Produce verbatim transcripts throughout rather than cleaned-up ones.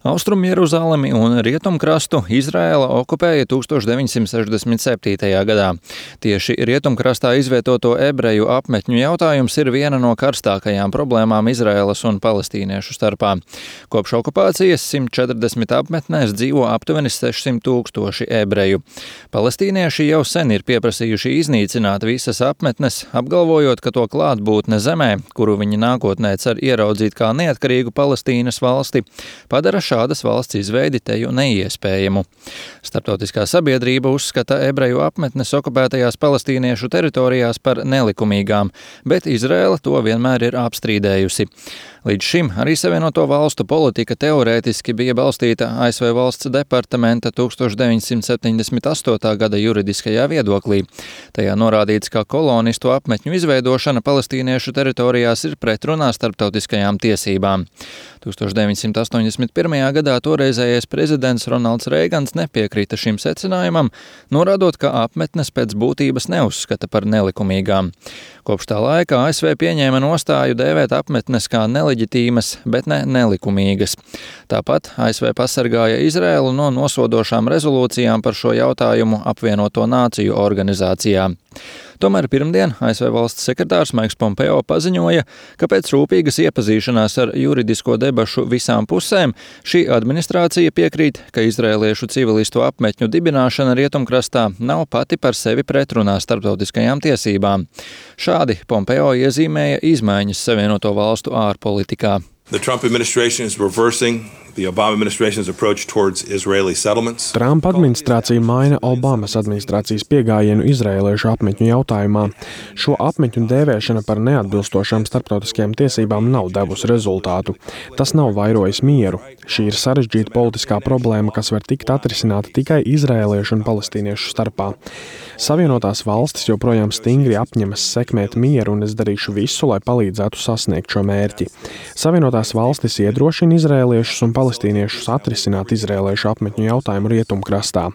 Austrumu Jeruzalemi un rietumkrastu Izraēla okupēja tuksstoš deviņsimt sešdesmit septītajā gadā. Tieši rietumkrastā izvietoto ebreju apmetņu jautājums ir viena no karstākajām problēmām Izraēlas un palestīniešu starpā. Kopš okupācijas simt četrdesmit apmetnēs dzīvo aptuveni sešsimt tūkstoši ebreju. Palestīnieši jau sen ir pieprasījuši iznīcināt visas apmetnes, apgalvojot, ka to klātbūtne zemē, kuru viņi nākotnē cer ieraudzīt kā neatkarīgu Palestīnas valsti, padara šādas valsts izveidi teju neiespējamu. Starptautiskā sabiedrība uzskata ebreju apmetnes okupētajās palestīniešu teritorijās par nelikumīgām, bet Izraēla to vienmēr ir apstrīdējusi. Līdz šim arī Savienoto valstu politika teorētiski bija balstīta A S V valsts departamenta tuksstoš deviņsimt septiņdesmit astotā gada juridiskajā viedoklī. Tajā norādīts, ka kolonistu apmetņu izveidošana palestīniešu teritorijās ir pretrunā starptautiskajām tiesībām. tuksstoš deviņsimt astoņdesmit pirmajā gadā toreizējais prezidents Ronalds Reigans nepiekrita šim secinājumam, norādot, ka apmetnes pēc būtības neuzskata par nelikumīgām. Kopš tā laika A S V pieņēma nostāju dēvēt apmetnes kā neleģitīmas, bet ne nelikumīgas. Tāpat A S V pasargāja Izraēlu no nosodošām rezolūcijām par šo jautājumu apvienoto nāciju organizācijā. Tomēr pirmdien A S V valsts sekretārs Maiks Pompeo paziņoja, ka pēc rūpīgas iepazīšanās ar juridisko debašu visām pusēm šī administrācija piekrīt, ka izraēliešu civilistu apmetņu dibināšana rietumkrastā nav pati par sevi pretrunā starptautiskajām tiesībām. Šādi Pompeo iezīmēja izmaiņas Savienoto valstu ārpolitikā. The Trump administration is reversing the Obama administration's approach towards Israeli settlements. Trumpa administrācija maina Obamas administrācijas piegājienu izraēliešu apmetņu jautājumā. Šo apmetņu dēvēšana par neatbilstošām starptautiskajām tiesībām nav devusi rezultātu. Tas nav vairojis mieru. Šī ir sarežģīta politiskā problēma, kas var tikt atrisināta tikai izraēliešu un palestīniešu starpā. Savienotās valstis joprojām stingri apņemas sekmēt mieru, un es darīšu visu, lai palīdzētu sasniegt šo mērķi. Savienotās valstis iedrošina izraēliešus un palestīniešus atrisināt izraēliešu apmetņu jautājumu rietumkrastā.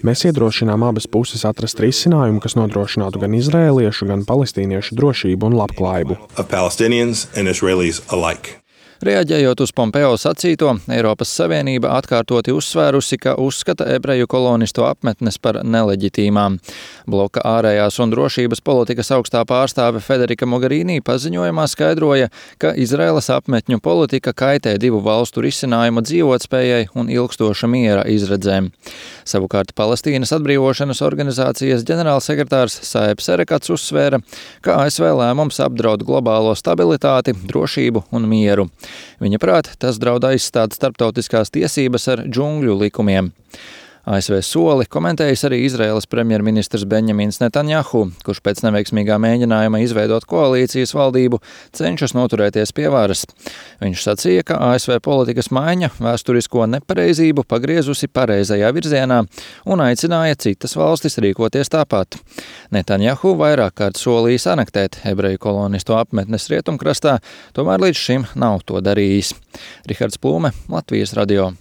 Mēs iedrošinām abas puses atrast risinājumu, kas nodrošinātu gan izraēliešu, gan palestīniešu drošību un labklājību. Reaģējot uz Pompeo sacīto, Eiropas Savienība atkārtoti uzsvērusi, ka uzskata ebreju kolonistu apmetnes par neleģitīmām. Bloka ārējās un drošības politikas augstā pārstāve Federika Mogherini paziņojumā skaidroja, ka Izraēlas apmetņu politika kaitē divu valstu risinājuma dzīvotspējai un ilgstoša miera izredzēm. Savukārt Palestīnas atbrīvošanas organizācijas ģenerālsekretārs Saebs Erekats uzsvēra, ka A S V lēmums apdraud globālo stabilitāti, drošību un mieru. Viņa prāt, tas draud aizstāt starptautiskās tiesības ar džungļu likumiem. A S V soli komentējis arī Izraēlas premjerministrs Benjamins Netanjahu, kurš pēc neveiksmīgā mēģinājuma izveidot koalīcijas valdību cenšas noturēties pie varas. Viņš sacīja, ka A S V politikas maiņa vēsturisko nepareizību pagriezusi pareizajā virzienā un aicināja citas valstis rīkoties tāpat. Netanjahu vairāk kārt solījis anektēt ebreju kolonistu apmetnes rietumkrastā, tomēr līdz šim nav to darījis. Rihards Plūme, Latvijas radio.